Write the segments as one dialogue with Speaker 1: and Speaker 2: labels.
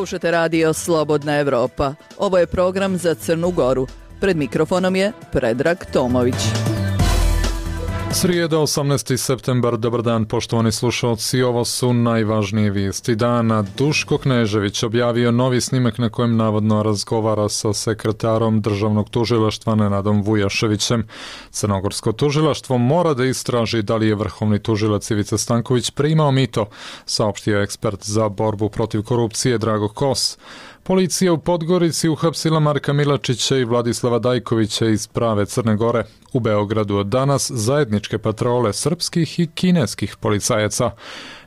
Speaker 1: Slušate radio Slobodna Evropa. Ovo je program za Crnu Goru. Pred mikrofonom je Predrag Tomović.
Speaker 2: Srijeda, 18. septembar, dobar dan poštovani slušalci, ovo su najvažnije vijesti dana. Duško Knežević objavio novi snimak na kojem navodno razgovara sa sekretarom državnog tužilaštva Nenadom Vujaševićem. Crnogorsko tužilaštvo mora da istraži da li je vrhovni tužilac Ivica Stanković primao mito, saopštio ekspert za borbu protiv korupcije Drago Kos. Policija u Podgorici uhapsila Marka Milačića i Vladislava Dajkovića iz prave Crne Gore. U Beogradu od danas zajedničke patrole srpskih i kineskih policajaca.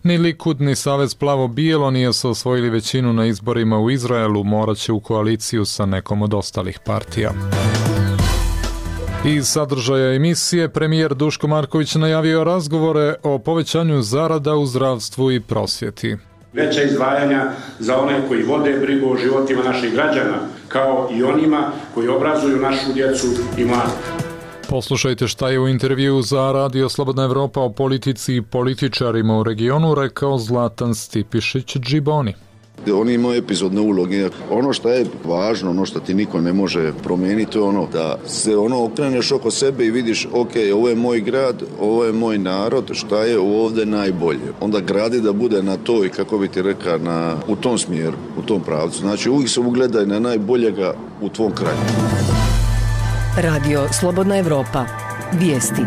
Speaker 2: Ni Likud ni Savez Plavo-bijelo nije se osvojili većinu na izborima u Izraelu, morat će u koaliciju sa nekom od ostalih partija. Iz sadržaja emisije premijer Duško Marković najavio razgovore o povećanju zarada u zdravstvu i prosvjeti.
Speaker 3: Veća izdvajanja za one koji vode brigu o životima naših građana, kao i onima koji obrazuju našu djecu i mlade.
Speaker 2: Poslušajte šta je u intervjuu za Radio Slobodna Evropa o politici i političarima u regionu rekao Zlatan Stipišić-Džiboni.
Speaker 4: Oni imaju epizodne uloge. Ono što je važno, ono što ti niko ne može promijeniti, ono da se okreneš oko sebe i vidiš, ok, ovo je moj grad, ovo je moj narod, šta je ovdje najbolje. Onda gradi da bude na to i kako bi ti rekao u tom smjeru, u tom pravcu. Znači uvijek se ugledaj na najboljega u tvom kraju.
Speaker 5: Radio Slobodna Evropa. Vijesti.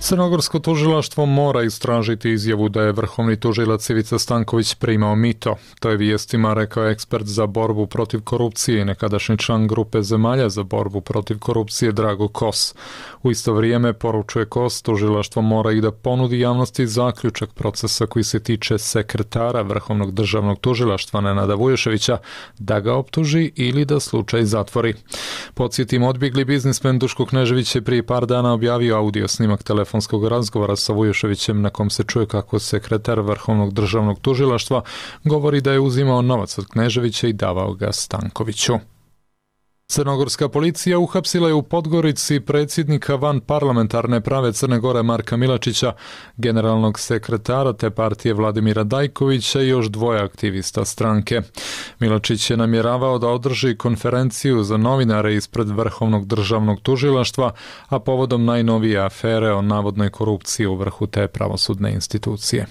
Speaker 2: Crnogorsko tužilaštvo mora istražiti izjavu da je vrhovni tužilac Ivica Stanković primao mito. To je vijestima rekao ekspert za borbu protiv korupcije i nekadašnji član grupe zemalja za borbu protiv korupcije Drago Kos. U isto vrijeme, poručuje Kos, tužilaštvo mora i da ponudi javnosti zaključak procesa koji se tiče sekretara vrhovnog državnog tužilaštva Nenada Vujaševića, da ga optuži ili da slučaj zatvori. Podsjetim, odbjegli biznismen Duško Knežević je prije par dana objavio audio snimak telefonskog razgovora sa Vujaševićem na kom se čuje kako sekretar vrhovnog državnog tužilaštva govori da je uzimao novac od Kneževića i davao ga Stankoviću. Crnogorska policija uhapsila je u Podgorici predsjednika van parlamentarne prave Crne Gore Marka Milačića, generalnog sekretara te partije Vladimira Dajkovića i još dvoje aktivista stranke. Milačić je namjeravao da održi konferenciju za novinare ispred vrhovnog državnog tužilaštva, a povodom najnovije afere o navodnoj korupciji u vrhu te pravosudne institucije.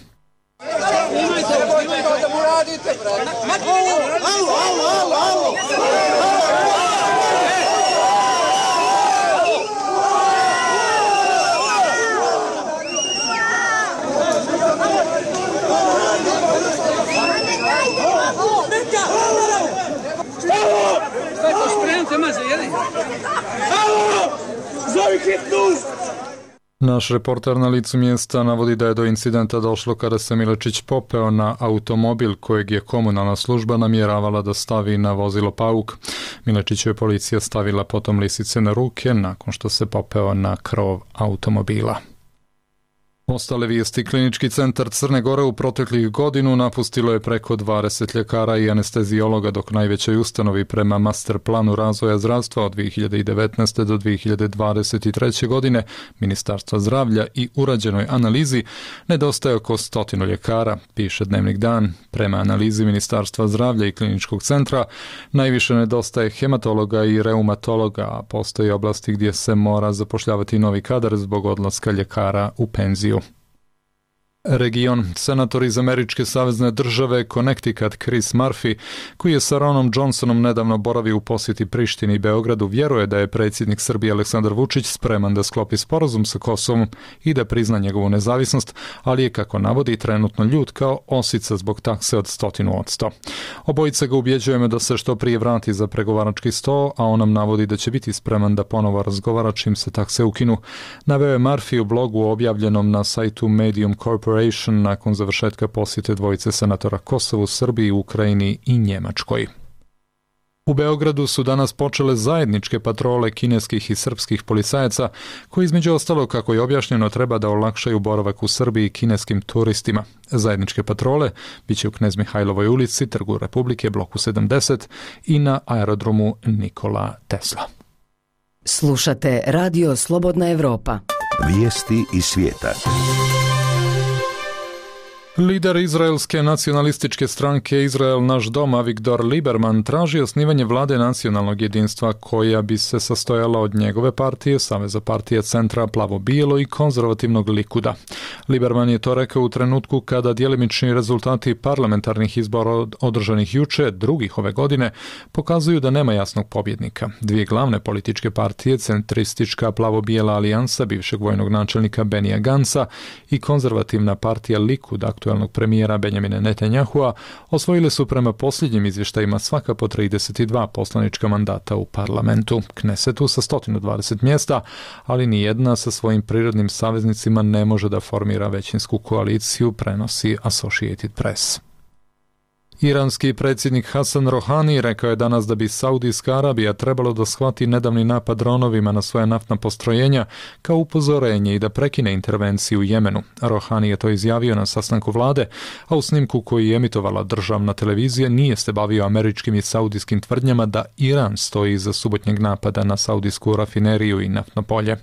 Speaker 2: Naš reporter na licu mjesta navodi da je do incidenta došlo kada se Milačić popeo na automobil kojeg je komunalna služba namjeravala da stavi na vozilo Pauk. Milačiću je policija stavila potom lisice na ruke nakon što se popeo na krov automobila. Ostale vijesti. Klinički centar Crne Gore u proteklih godinu napustilo je preko 20 ljekara i anestezijologa, dok najvećoj ustanovi prema master planu razvoja zdravstva od 2019. do 2023. godine Ministarstva zdravlja i urađenoj analizi nedostaje oko 100 ljekara, piše Dnevnik Dan. Prema analizi Ministarstva zdravlja i kliničkog centra najviše nedostaje hematologa i reumatologa, a postoji oblasti gdje se mora zapošljavati novi kadar zbog odlaska ljekara u penziju. Region. Senator iz američke savezne države Connecticut Chris Murphy, koji je sa Ronom Johnsonom nedavno boravio u posjeti Prištini i Beogradu, vjeruje da je predsjednik Srbije Aleksandar Vučić spreman da sklopi sporazum sa Kosovom i da prizna njegovu nezavisnost, ali je, kako navodi, trenutno ljut kao osica zbog takse od 100%. Obojica ga ubjeđujemo da se što prije vrati za pregovarački sto, a on nam navodi da će biti spreman da ponovo razgovara čim se takse ukinu. Naveo je Murphy u blogu objavljenom na sajtu Medium Corporation nakon završetka posjete dvojice senatora Kosovu, Srbiji, Ukrajini i Njemačkoj. U Beogradu su danas počele zajedničke patrole kineskih i srpskih policajaca koji, između ostalog, kako je objašnjeno, treba da olakšaju boravak u Srbiji kineskim turistima. Zajedničke patrole biće u Knez Mihajlovoj ulici, Trgu Republike, bloku 70 i na aerodromu Nikola Tesla.
Speaker 5: Slušate Radio Slobodna Evropa.
Speaker 6: Vijesti iz svijeta.
Speaker 2: Lider izraelske nacionalističke stranke Izrael naš dom Avigdor Lieberman traži osnivanje vlade nacionalnog jedinstva koja bi se sastojala od njegove partije, Saveza partije Centra, Plavo-bijelo i konzervativnog Likuda. Lieberman je to rekao u trenutku kada djelimični rezultati parlamentarnih izbora održanih juče, drugih ove godine, pokazuju da nema jasnog pobjednika. Dvije glavne političke partije, centristička Plavo-bijela alijansa bivšeg vojnog načelnika Benija Gansa i konzervativna partija Likud aktuelnog premijera Benjamina Netanjahua, osvojile su prema posljednjim izvještajima svaka po 32 poslanička mandata u parlamentu, Knesetu sa 120 mjesta, ali nijedna sa svojim prirodnim saveznicima ne može da formira većinsku koaliciju, prenosi Associated Press. Iranski predsjednik Hasan Rohani rekao je danas da bi Saudijska Arabija trebalo da shvati nedavni napad dronovima na svoja naftna postrojenja kao upozorenje i da prekine intervenciju u Jemenu. Rohani je to izjavio na sastanku vlade, a u snimku koji je emitovala državna televizija nije se bavio američkim i saudijskim tvrdnjama da Iran stoji iza subotnjeg napada na saudijsku rafineriju i naftno polje.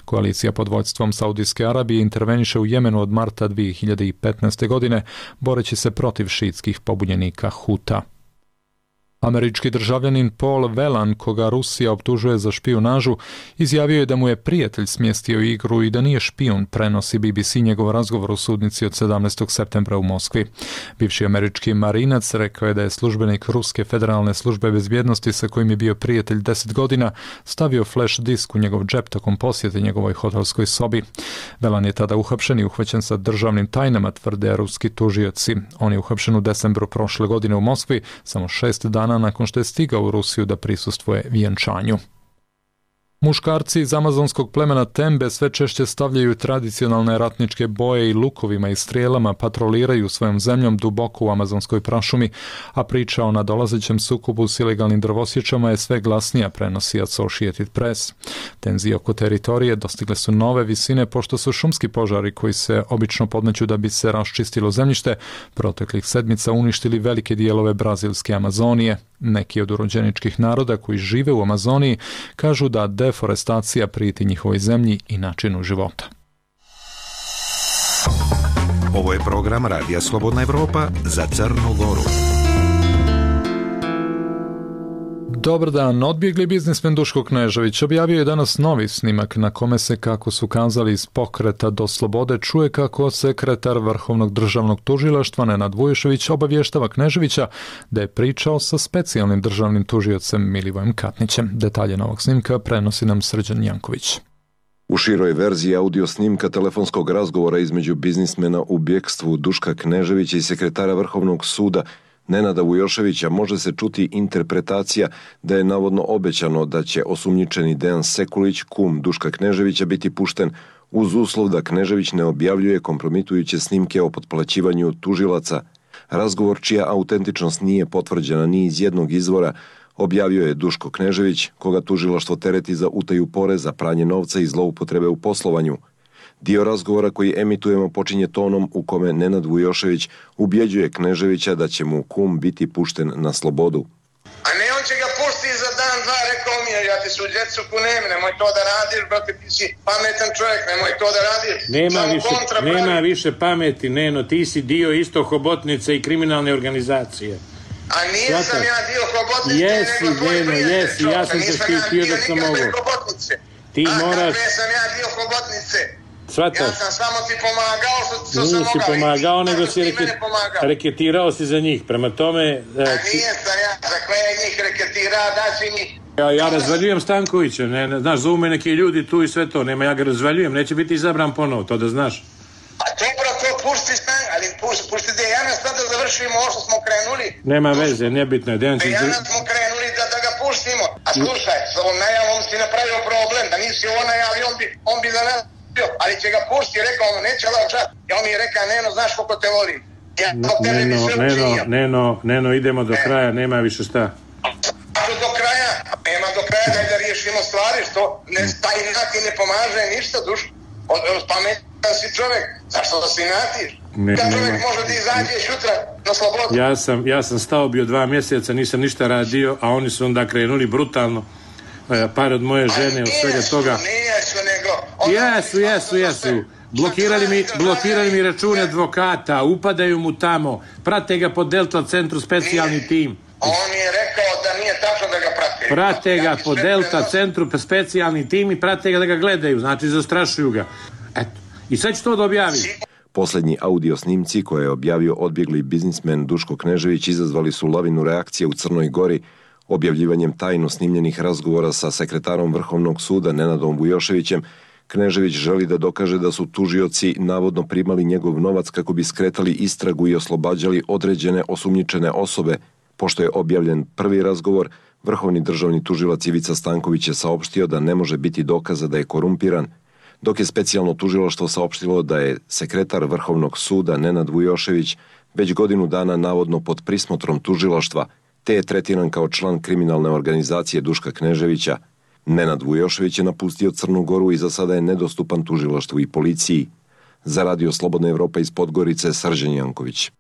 Speaker 2: Koalicija pod vodstvom Saudijske Arabije interveniše u Jemenu od marta 2015. godine, boreći se protiv šiitskih pobunjenika Huta. Američki državljanin Paul Whelan, koga Rusija optužuje za špijunažu, izjavio je da mu je prijatelj smjestio igru i da nije špijun, prenosi BBC njegov razgovor u sudnici od 17. septembra u Moskvi. Bivši američki marinac rekao je da je službenik Ruske federalne službe bezbjednosti sa kojim je bio prijatelj 10 godina stavio flash disk u njegov džep tokom posjete njegovoj hotelskoj sobi. Whelan je tada uhapšen i uhvaćen sa državnim tajnama, tvrde ruski tužioci. On je uhapšen u decembru prošle godine u Moskvi, samo 6 dana nakon što je stigao u Rusiju da prisustvuje vjenčanju. Muškarci iz amazonskog plemena Tembe sve češće stavljaju tradicionalne ratničke boje i lukovima i strijelama, patroliraju svojom zemljom duboko u amazonskoj prašumi, a priča o nadolazećem sukobu s ilegalnim drvosječama je sve glasnija, prenosi Associated Press. Tenzije oko teritorije dostigle su nove visine pošto su šumski požari koji se obično podmeću da bi se raščistilo zemljište proteklih sedmica uništili velike dijelove brazilske Amazonije. Neki od urođeničkih naroda koji žive u Amazoniji kažu da deforestacija prijeti njihovoj zemlji i načinu života.
Speaker 6: Ovo je program Radija Slobodna Evropa za Crnu Goru.
Speaker 2: Dobar dan, odbjegli biznismen Duško Knežević objavio je danas novi snimak na kome se, kako su kazali iz Pokreta do slobode, čuje kako sekretar Vrhovnog državnog tužilaštva Nenad Vujošević obavještava Kneževića da je pričao sa specijalnim državnim tužiocem Milivojem Katnićem. Detalje novog snimka prenosi nam Srđan Janković.
Speaker 7: U široj verziji audio snimka telefonskog razgovora između biznismena u bjekstvu Duška Kneževića i sekretara Vrhovnog suda Nenada Vujoševića može se čuti interpretacija da je navodno obećano da će osumnjičeni Dejan Sekulić, kum Duška Kneževića, biti pušten uz uslov da Knežević ne objavljuje kompromitujuće snimke o potplaćivanju tužilaca. Razgovor, čija autentičnost nije potvrđena ni iz jednog izvora, objavio je Duško Knežević, koga tužilaštvo tereti za utaju poreza, pranje novca i zloupotrebe u poslovanju. Dio razgovora koji emitujemo počinje tonom u kome Nenad Vujošević ubjeđuje Kneževića da će mu kum biti pušten na slobodu.
Speaker 8: A ne, on će ga puštiti za dan, dva, rekao mi je, ja ti su djecu kunem, nemoj to da radiš, brate, ti si pametan čovjek, nemoj to da radiš.
Speaker 9: Nema više pameti, Neno, ti si dio isto hobotnice i kriminalne organizacije.
Speaker 8: A nisam ja dio hobotnice,
Speaker 9: jesi,
Speaker 8: nego tvoj prijatelj.
Speaker 9: Jesi, ja sam te štitio dok sam mogu. Ti moraš...
Speaker 8: Nisam ja dio hobotnice.
Speaker 9: Svataš?
Speaker 8: Ja sam samo ti pomagao što sam mogao.
Speaker 9: Nisi pomagao, nego si reketirao si za njih. Prema tome...
Speaker 8: Nijesam ja, za koje njih reketirao, daći njih.
Speaker 9: Ja razvaljujem Stankovića, znaš, zovu me neki ljudi tu i sve to, nema, ja ga razvaljujem, neće biti izabran ponovo, to da znaš.
Speaker 8: A dobro, to pušti Stank, ali pušti Dejana sad da završimo ovo što smo krenuli.
Speaker 9: Nema veze, nebitno je.
Speaker 8: Dejana smo krenuli da ga puštimo. A slušaj, s ovom najavom si napravio problem, da nisi ovo najavio, on bi za nas... ali će ga pušti, rekao mu, neće lažat. Ja on mi je rekao, Neno, znaš koliko te volim.
Speaker 9: Neno, idemo do kraja, nema više šta.
Speaker 8: Nema do kraja, da riješimo stvari, što taj inati ne pomaže ništa, duš. Pametan si čovjek, zašto da si inatiš? Kad čovjek može da izađe sutra na slobodu.
Speaker 9: Ja sam stao bio 2 mjeseca, nisam ništa radio, a oni su onda krenuli brutalno. Par od moje žene, od svega toga.
Speaker 8: Jesu.
Speaker 9: blokirali mi račune advokata, upadaju mu tamo, prate ga po Delta centru specijalni tim.
Speaker 8: On mi je rekao da nije tačno da ga prate.
Speaker 9: Prate ga po Delta centru specijalni tim i prate ga da ga gledaju, znači zastrašuju ga. Eto, i sad ću to da objavim.
Speaker 7: Posljednji audio snimci koje je objavio odbjegli biznismen Duško Knežević izazvali su lavinu reakcije u Crnoj Gori. Objavljivanjem tajno snimljenih razgovora sa sekretarom Vrhovnog suda Nenadom Vujoševićem, Knežević želi da dokaže da su tužioci navodno primali njegov novac kako bi skretali istragu i oslobađali određene osumnjičene osobe. Pošto je objavljen prvi razgovor, Vrhovni državni tužilac Ivica Stanković je saopštio da ne može biti dokaza da je korumpiran, dok je specijalno tužilaštvo saopštilo da je sekretar Vrhovnog suda Nenad Vujošević već godinu dana navodno pod prismotrom tužilaštva, te je tretiran kao član kriminalne organizacije Duška Kneževića. Nenad Vujošević je napustio Crnu Goru i za sada je nedostupan tužilaštvu i policiji. Za Radio Slobodna Evropa iz Podgorice, Srđan Janković.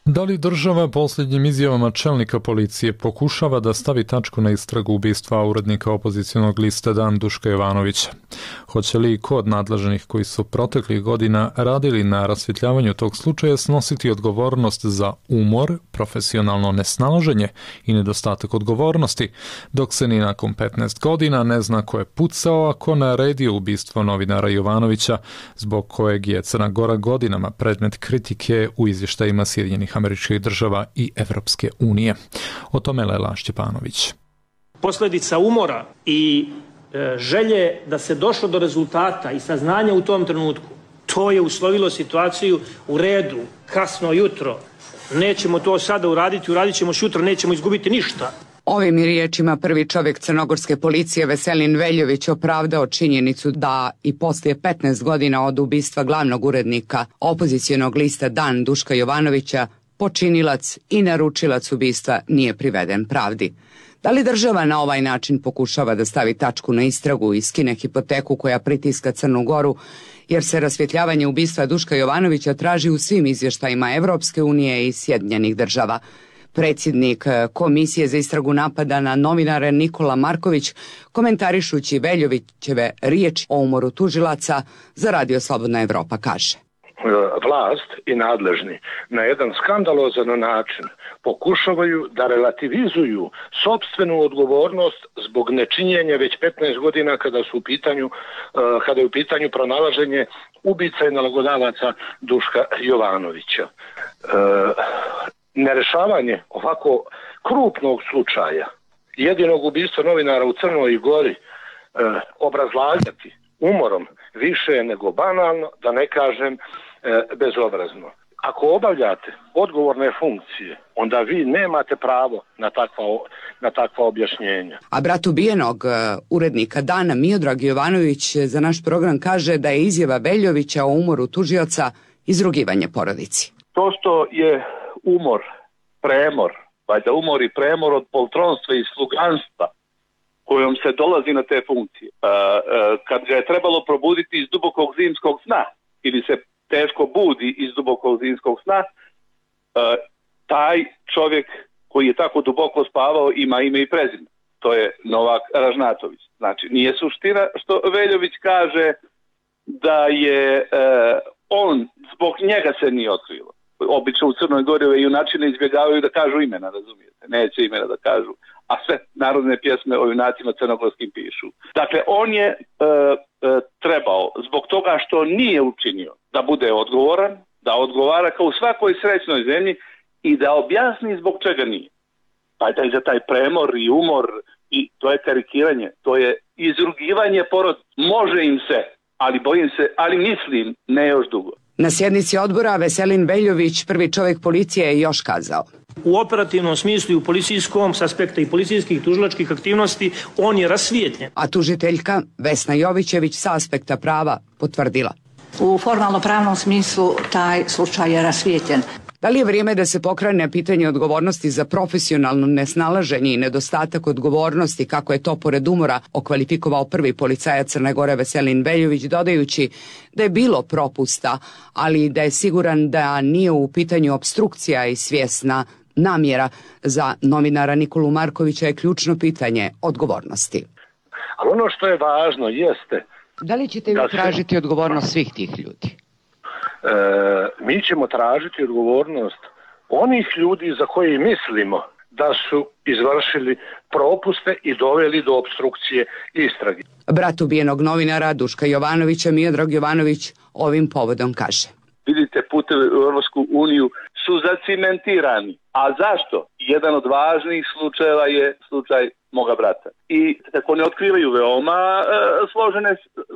Speaker 2: Da li država posljednjim izjavama čelnika policije pokušava da stavi tačku na istragu ubistva urednika opozicionog lista Dan Duška Jovanovića? Hoće li kod nadležnih koji su proteklih godina radili na rasvjetljavanju tog slučaja snositi odgovornost za umor, profesionalno nesnalaženje i nedostatak odgovornosti, dok se ni nakon 15 godina ne zna ko je pucao, a ko naredio ubistvo novinara Jovanovića, zbog kojeg je Crna Gora godinama predmet kritike u izvještajima Sjedinjenih Američkih Država i Evropske unije. O tome Lela Šćepanović.
Speaker 10: Posljedica umora i želje da se došlo do rezultata i saznanja u tom trenutku, to je uslovilo situaciju u redu, kasno jutro. Nećemo to sada uraditi, uradit ćemo jutro, nećemo izgubiti ništa.
Speaker 11: Ovim riječima prvi čovjek crnogorske policije Veselin Veljović opravdao činjenicu da i poslije 15 godina od ubistva glavnog urednika opozicionog lista Dan Duška Jovanovića počinilac i naručilac ubistva nije priveden pravdi. Da li država na ovaj način pokušava da stavi tačku na istragu i skine hipoteku koja pritiska Crnu Goru, jer se rasvjetljavanje ubistva Duška Jovanovića traži u svim izvještajima Evropske unije i Sjedinjenih Država? Predsjednik Komisije za istragu napada na novinare Nikola Marković, komentarišući Veljovićeve riječi o umoru tužilaca, za Radio Slobodna Evropa kaže:
Speaker 12: Vlast i nadležni na jedan skandalozan način pokušavaju da relativizuju sopstvenu odgovornost zbog nečinjenja već 15 godina kada je u pitanju pronalaženje ubica i nalogodavaca Duška Jovanovića. Nerešavanje ovako krupnog slučaja, jedinog ubistva novinara u Crnoj Gori, obrazlagati umorom više je nego banalno, da ne kažem bezobrazno. Ako obavljate odgovorne funkcije, onda vi nemate pravo na takva objašnjenja.
Speaker 11: A brat ubijenog urednika Dana, Miodrag Jovanović, za naš program kaže da je izjava Veljovića o umoru tužioca izrugivanje porodici.
Speaker 12: To što je umor, premor, valjda umor i premor od poltronstva i sluganstva kojom se dolazi na te funkcije. Kad ga je trebalo probuditi iz dubokog zimskog sna ili se teško budi iz dubokog zimskog sna, taj čovjek koji je tako duboko spavao ima ime i prezime. To je Novak Ražnatović. Znači, nije suština što Veljović kaže da je on, zbog njega se nije otkrilo. Obično u Crnoj Gori ove junačine izbjegavaju da kažu imena, razumijete? Neće imena da kažu, a sve narodne pjesme o junacima crnogorskim pišu. Dakle, on je trebao, zbog toga što nije učinio, da bude odgovoran, da odgovara kao u svakoj srećnoj zemlji i da objasni zbog čega nije. Pa je za taj premor i umor, i to je karikiranje, to je izrugivanje porodice. Može im se, ali bojim se, ali mislim, ne još dugo.
Speaker 11: Na sjednici odbora Veselin Veljović, prvi čovjek policije, je još kazao:
Speaker 10: u operativnom smislu i u policijskom, s aspekta i policijskih i tužilačkih aktivnosti, on je rasvijetljen.
Speaker 11: A tužiteljka Vesna Jovićević sa aspekta prava potvrdila:
Speaker 13: u formalno-pravnom smislu taj slučaj je rasvijetljen.
Speaker 11: Da li je vrijeme da se pokrene pitanje odgovornosti za profesionalno nesnalaženje i nedostatak odgovornosti, kako je to pored umora okvalifikovao prvi policajac Crne Gore Veselin Veljović, dodajući da je bilo propusta, ali da je siguran da nije u pitanju opstrukcija i svjesna namjera. Za novinara Nikolu Markovića je ključno pitanje odgovornosti.
Speaker 14: Ali ono što je važno jeste...
Speaker 11: Da li ćete vi tražiti odgovornost svih tih ljudi?
Speaker 14: Mi ćemo tražiti odgovornost onih ljudi za koje mislimo da su izvršili propuste i doveli do opstrukcije istrage.
Speaker 11: Brat ubijenog novinara Duška Jovanovića, Miodrag Jovanović, ovim povodom kaže.
Speaker 12: Vidite, putevi u Europsku uniju su zacimentirani. A zašto? Jedan od važnijih slučajeva je slučaj moga brata. I tako ne otkrivaju veoma složene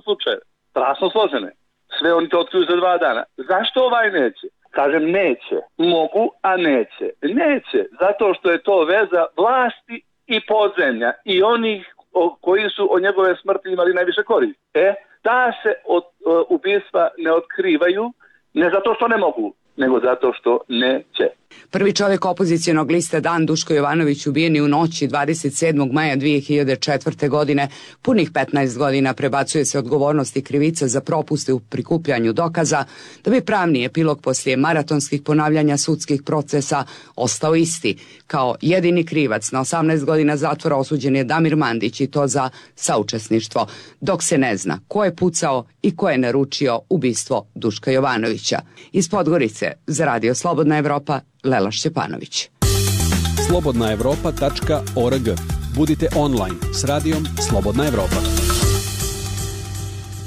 Speaker 12: slučaje. Strašno složene. Sve oni to otkriju za 2 dana. Zašto ovaj neće? Kažem neće. Mogu, a neće. Neće. Zato što je to veza vlasti i podzemlja. I onih koji su od njegove smrti imali najviše koristi. Da se ubistva ne otkrivaju, ne zato što ne mogu, nego zato što neće.
Speaker 11: Prvi čovjek opozicionog lista Dan, Duško Jovanović, ubijen je u noći 27. maja 2004. godine. Punih 15 godina prebacuje se odgovornost i krivica za propuste u prikupljanju dokaza, da bi pravni epilog poslije maratonskih ponavljanja sudskih procesa ostao isti. Kao jedini krivac na 18 godina zatvora osuđen je Damir Mandić, i to za saučesništvo, dok se ne zna ko je pucao i ko je naručio ubistvo Duška Jovanovića. Iz Podgorice za Radio Slobodna Evropa, Lela Šćepanović.
Speaker 15: slobodnaevropa.org. Budite online s radijom Slobodna Evropa.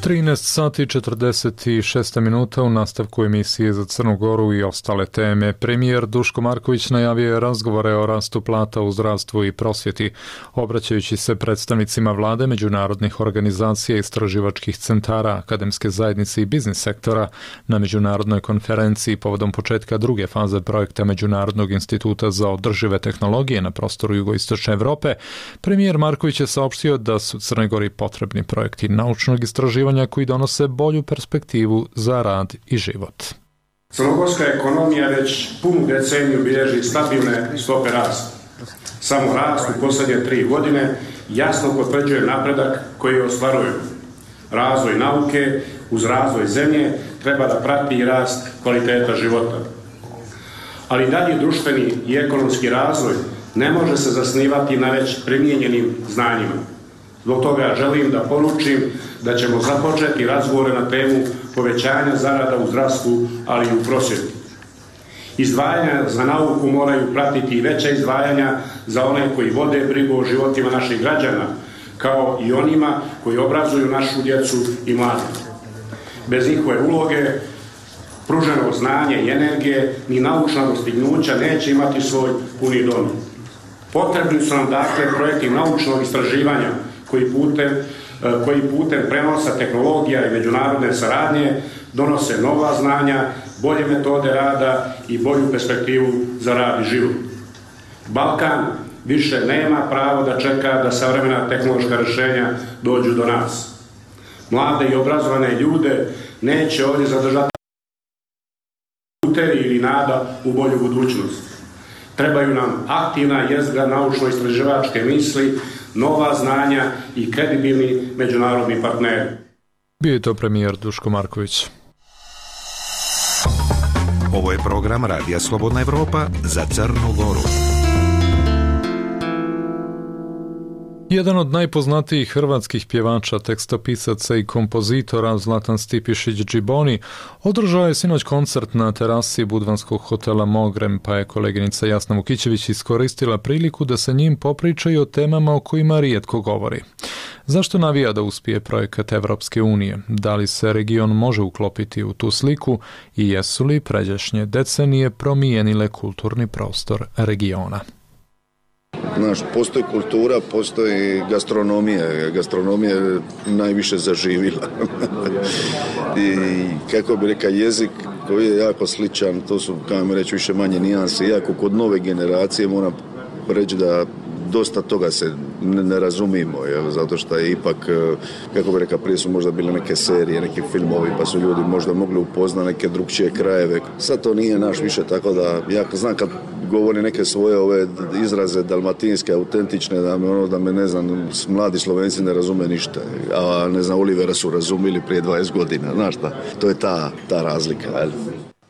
Speaker 2: 13 sati 46 minuta u nastavku emisije za Crnu Goru i ostale teme. Premijer Duško Marković najavio je razgovore o rastu plata u zdravstvu i prosvjeti. Obraćajući se predstavnicima vlade, međunarodnih organizacija, istraživačkih centara, akademske zajednice i biznis sektora na međunarodnoj konferenciji povodom početka druge faze projekta Međunarodnog instituta za održive tehnologije na prostoru jugoistočne Evrope, premijer Marković je saopštio da su Crnoj Gori potrebni projekti naučnog istraživanja koji donose bolju perspektivu za rad i život.
Speaker 3: Crnogorska ekonomija već punu deceniju bilježi stabilne stope rasta. Samo rast u posljednje 3 godine jasno potvrđuje napredak koji ostvaruju. Razvoj nauke uz razvoj zemlje treba da prati i rast kvaliteta života. Ali dalje društveni i ekonomski razvoj ne može se zasnivati na već primijenjenim znanjima. Zbog toga želim da poručim da ćemo započeti razgovore na temu povećanja zarada u zdravstvu, ali i u prosvjeti. Izdvajanja za nauku moraju pratiti i veća izdvajanja za one koji vode brigu o životima naših građana, kao i onima koji obrazuju našu djecu i mlade. Bez njihove uloge, pruženo znanje i energije, ni naučna dostignuća neće imati svoj puni dom. Potrebni su nam dakle projekti naučnog istraživanja koji putem prenosa tehnologija i međunarodne saradnje donose nova znanja, bolje metode rada i bolju perspektivu za rad i život. Balkan više nema pravo da čeka da savremena tehnološka rješenja dođu do nas. Mlade i obrazovane ljude neće ovdje zadržati uteri ili nada u bolju budućnost. Trebaju nam aktivna jezgra naučno-istraživačke misli, nova znanja i kredibilni međunarodni partneri.
Speaker 2: Bio je to premijer Duško Marković.
Speaker 6: Ovo je program Radija Slobodna Evropa za Crnu Goru.
Speaker 2: Jedan od najpoznatijih hrvatskih pjevača, tekstopisaca i kompozitora Zlatan Stipišić Džiboni održao je sinoć koncert na terasi budvanskog hotela Mogrem, pa je koleginica Jasna Vukićević iskoristila priliku da se njim popriča i o temama o kojima rijetko govori. Zašto navija da uspije projekat Evropske unije? Da li se region može uklopiti u tu sliku i jesu li pređašnje decenije promijenile kulturni prostor regiona?
Speaker 4: Znaš, postoji kultura, postoji gastronomija. Gastronomija je najviše zaživila. I kako bi rekao, jezik koji je jako sličan, to su, kao mi reći, više manje nijanse. Iako kod nove generacije moram reći da dosta toga se ne razumimo, zato što je ipak, kako bi rekao, prije su možda bile neke serije, neki filmovi, pa su ljudi možda mogli upoznati neke drugčije krajeve. Sad to nije naš više, tako da ja znam kad govori neke svoje ove izraze dalmatinske, autentične, da me ne znam, mladi Slovenci ne razume ništa, a ne znam, Olivera su razumili prije 20 godina, znaš šta, to je ta razlika, jel?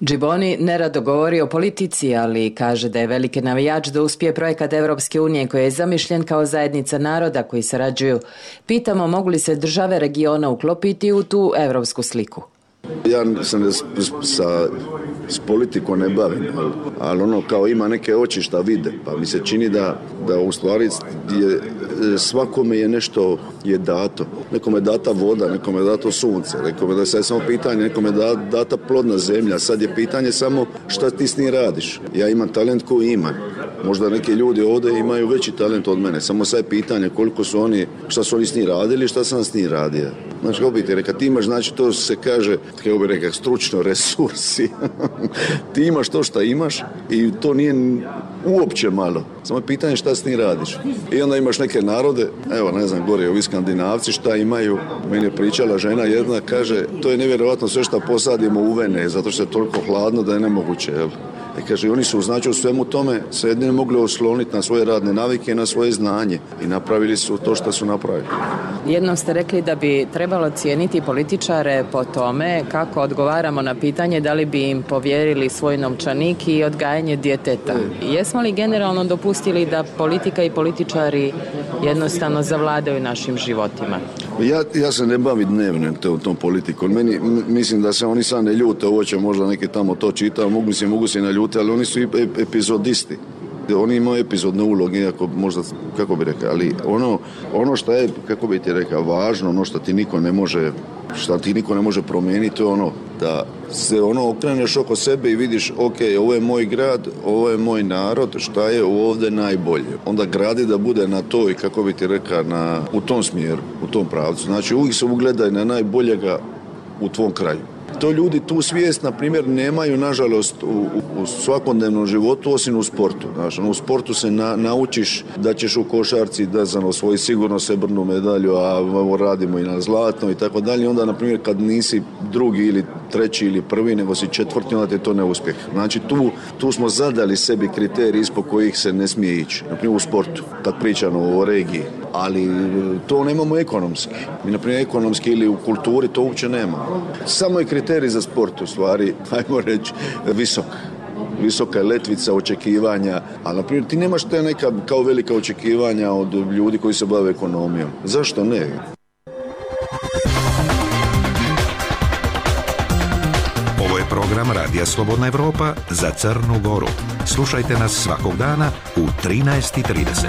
Speaker 16: Džiboni nerado govori o politici, ali kaže da je veliki navijač da uspije projekat Evropske unije koji je zamišljen kao zajednica naroda koji sarađuju. Pitamo mogu li se države regiona uklopiti u tu evropsku sliku.
Speaker 4: Ja sam s politikom ne bavim, ali ono kao ima neke oči šta vide, pa mi se čini da u stvari svakome je nešto je dato. Nekome je data voda, nekome je dato sunce, nekome da je sad samo pitanje, nekome je data plodna zemlja, sad je pitanje samo šta ti s njim radiš. Ja imam talent koji imam. Možda neki ljudi ovdje imaju veći talent od mene, samo sad je pitanje koliko su oni, šta su oni s njim radili, šta sam s njim radio. Znači, kako bi ti rekao, ti imaš, znači to se kaže, kako bi rekao, stručno resursi. Ti imaš to što imaš i to nije uopće malo. Samo je pitanje šta s njim radiš. I onda imaš neke narode, evo ne znam, gore ovi Skandinavci šta imaju. Meni je pričala žena jedna, kaže, to je nevjerojatno sve što posadimo u vene, zato što je toliko hladno da je nemoguće, jel? I kaže, oni su znači u svemu tome se jedine mogli osloniti na svoje radne navike i na svoje znanje i napravili su to što su napravili.
Speaker 16: Jednom ste rekli da bi trebalo cijeniti političare po tome kako odgovaramo na pitanje da li bi im povjerili svoj novčanik i odgajanje djeteta. Jesmo li generalno dopustili da politika i političari jednostavno zavladaju našim životima?
Speaker 4: Ja se ne bavim dnevno tom politikom. Mislim da se oni sad ne ljute, ovo će možda neki tamo to čitao, mogu se naljuti, ali oni su epizodisti. Oni imaju epizodne uloge, iako možda, kako bi rekao, ali ono što je, kako bi ti rekao, važno, ono što ti niko ne može promijeniti, to je ono da se okreneš oko sebe i vidiš, ok, ovo je moj grad, ovo je moj narod, šta je ovdje najbolje. Onda gradi da bude na to i, kako bi ti rekao, u tom smjeru, u tom pravcu. Znači, uvijek se ugledaj na najboljega u tvom kraju. To ljudi tu svijest, na primjer, nemaju, nažalost, u svakodnevnom životu, osim u sportu. Znači, u sportu se naučiš da ćeš u košarci da osvoji sigurno srebrnu medalju, a radimo i na zlatno i tako dalje. Onda, na primjer, kad nisi drugi ili treći ili prvi, nego si četvrti, onda ti je to neuspjeh. Znači, tu smo zadali sebi kriteriji ispod kojih se ne smije ići. Na primjer, u sportu, kad pričamo o regiji. Ali to nemamo ekonomski. Mi, na primjer, ekonomski ili u kulturi to uopće nemamo. Samo je kriterij za sport, u stvari, ajmo reći, visoka letvica očekivanja, ali na primjer ti nemaš te neka kao velika očekivanja od ljudi koji se bave ekonomijom. Zašto ne?
Speaker 6: Ovo je program Radija Slobodna Evropa za Crnu Goru. Slušajte nas svakog dana u 13:30.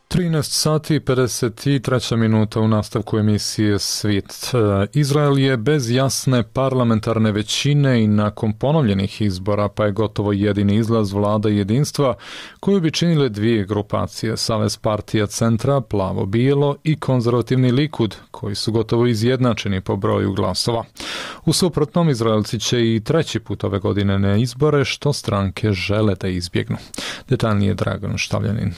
Speaker 2: 13 sati 53 minuta u nastavku emisije Svit. Izrael je bez jasne parlamentarne većine i nakon ponovljenih izbora, pa je gotovo jedini izlaz vlada jedinstva koju bi činile dvije grupacije, Savez partija centra, plavo-bijelo i konzervativni Likud, koji su gotovo izjednačeni po broju glasova. U suprotnom, Izraelci će i treći put ove godine na izbore, što stranke žele da izbjegnu. Detaljnije Dragan Štavljanin.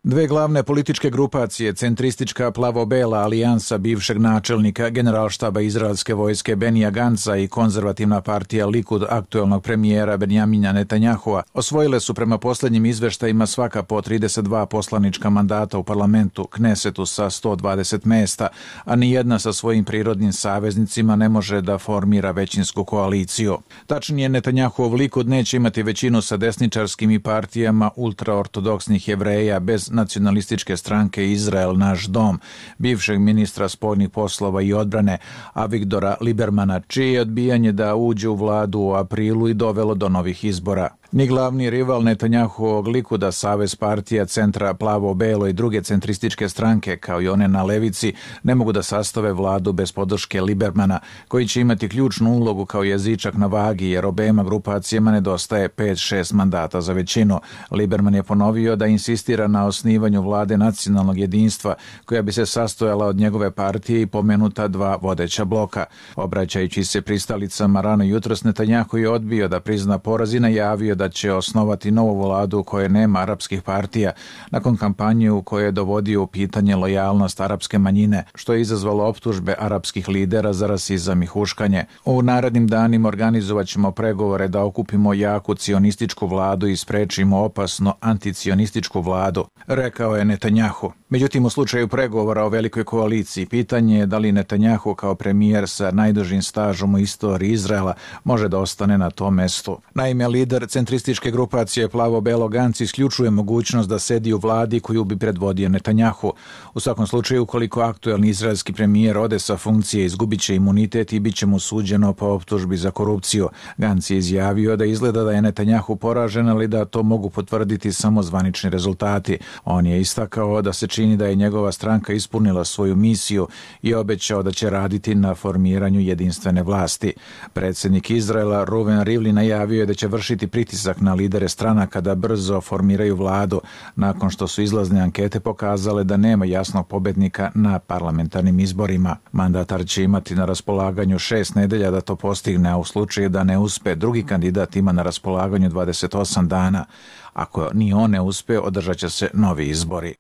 Speaker 17: Dve glavne političke grupacije, centristička plavo-bela alijansa bivšeg načelnika generalštaba izraelske vojske Benija Ganca i konzervativna partija Likud aktuelnog premijera Benjamina Netanjahua, osvojile su prema posljednjim izveštajima svaka po 32 poslanička mandata u parlamentu Knesetu sa 120 mesta, a nijedna sa svojim prirodnim saveznicima ne može da formira većinsku koaliciju. Tačnije, Netanjahuov Likud neće imati većinu sa desničarskim i partijama ultraortodoksnih Jevreja bez nacionalističke stranke Izrael naš dom, bivšeg ministra spoljnih poslova i odbrane Avigdora Libermana, čije je odbijanje da uđe u vladu u aprilu i dovelo do novih izbora. Ni glavni rival Netanjahuovog Likuda, Savez partija centra plavo-belo i druge centrističke stranke, kao i one na levici, ne mogu da sastave vladu bez podrške Libermana, koji će imati ključnu ulogu kao jezičak na vagi, jer obema grupacijama nedostaje 5-6 mandata za većinu. Liberman je ponovio da insistira na osnivanju vlade nacionalnog jedinstva, koja bi se sastojala od njegove partije i pomenuta dva vodeća bloka. Obraćajući se pristalicama rano jutros, Netanjahu je odbio da prizna poraz i najavio da će osnovati novu vladu u kojoj nema arapskih partija, nakon kampanje u kojoj je dovodio u pitanje lojalnost arapske manjine, što je izazvalo optužbe arapskih lidera za rasizam i huškanje. U narednim danima organizovat ćemo pregovore da okupimo jaku cionističku vladu i sprečimo opasno anticionističku vladu, rekao je Netanjahu. Međutim, u slučaju pregovora o velikoj koaliciji, pitanje je da li Netanjahu kao premijer sa najdužim stažom u istoriji Izraela može da ostane na tom mestu. Naime, lider centrističke grupacije Plavo-Belo Gantz isključuje mogućnost da sedi u vladi koju bi predvodio Netanjahu. U svakom slučaju, ukoliko aktuelni izraelski premijer ode sa funkcije, izgubit će imunitet i bit će mu suđeno po optužbi za korupciju. Gantz je izjavio da izgleda da je Netanjahu poražen, ali da to mogu potvrditi samo zvanični rezultati. On je istakao da se čini da je njegova stranka ispunila svoju misiju i obećao da će raditi na formiranju jedinstvene vlasti. Predsjednik Izraela Reuven Rivlin najavio je da će vršiti pritisak na lidere stranaka da brzo formiraju vladu, nakon što su izlazne ankete pokazale da nema jasnog pobednika na parlamentarnim izborima. Mandatar će imati na raspolaganju 6 nedelja da to postigne, a u slučaju da ne uspe, drugi kandidat ima na raspolaganju 28 dana. Ako ni on ne uspe, održat će se novi izbori.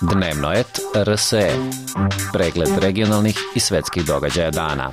Speaker 18: Dnevno et RSE. Pregled regionalnih i svetskih događaja dana.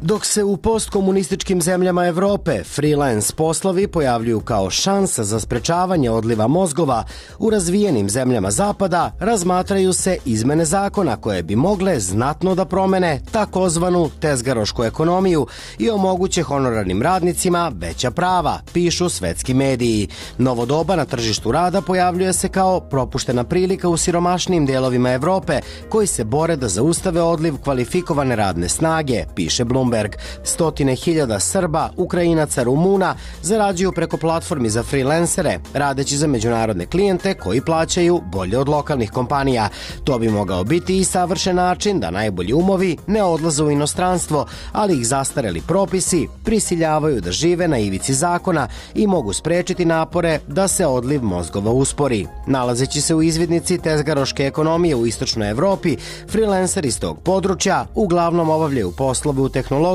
Speaker 19: Dok se u postkomunističkim zemljama Evrope freelance poslovi pojavljuju kao šansa za sprečavanje odliva mozgova, u razvijenim zemljama Zapada razmatraju se izmene zakona koje bi mogle znatno da promene takozvanu tezgarošku ekonomiju i omoguće honorarnim radnicima veća prava, pišu svetski mediji. Novo doba na tržištu rada pojavljuje se kao propuštena prilika u siromašnijim delovima Evrope koji se bore da zaustave odliv kvalifikovane radne snage, piše Bloomberg. Stotine hiljada Srba, Ukrajinaca, Rumuna zarađuju preko platformi za freelancere, radeći za međunarodne klijente koji plaćaju bolje od lokalnih kompanija. To bi mogao biti i savršen način da najbolji umovi ne odlaze u inostranstvo, ali ih zastareli propisi prisiljavaju da žive na ivici zakona i mogu sprečiti napore da se odliv mozgova uspori. Nalazeći se u izvidnici tezgaroške ekonomije u istočnoj Evropi, freelanceri iz tog područja uglavnom obavljaju poslove u tehnologiji,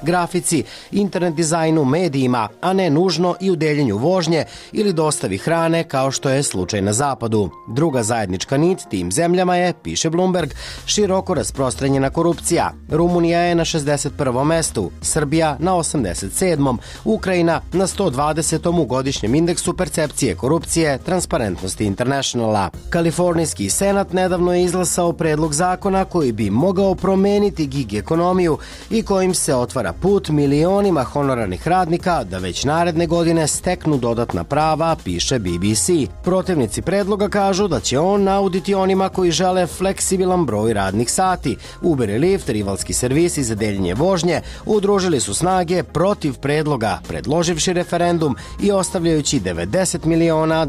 Speaker 19: grafici, internet dizajnu, medijima, a ne nužno i u deljenju vožnje ili dostavi hrane kao što je slučaj na zapadu. Druga zajednička nit tim zemljama je, piše Bloomberg, široko rasprostranjena korupcija. Rumunija je na 61. mestu, Srbija na 87. Ukrajina na 120. u godišnjem indeksu percepcije korupcije Transparentnosti Internationala. Kalifornijski senat nedavno je izglasao predlog zakona koji bi mogao promeniti gig ekonomiju i kojim se otvara put milionima honorarnih radnika da već naredne godine steknu dodatna prava, piše BBC. Protivnici predloga kažu da će on nauditi onima koji žele fleksibilan broj radnih sati. Uber i Lyft, rivalski servisi za deljenje vožnje, udružili su snage protiv predloga, predloživši referendum i ostavljajući $90 miliona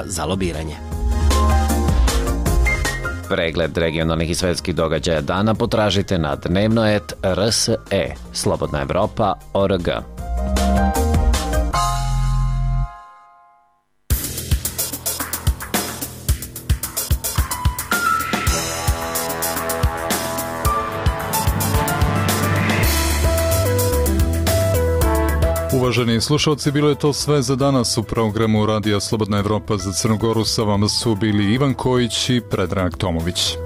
Speaker 19: za lobiranje.
Speaker 18: Pregled regionalnih i svetskih događaja dana potražite na dnevnoet.rse, slobodnaevropa.org.
Speaker 2: Uvaženi slušalci, bilo je to sve za danas u programu Radija Slobodna Evropa za Crnu Goru. Sa vama su bili Ivan Kojić i Predrag Tomović.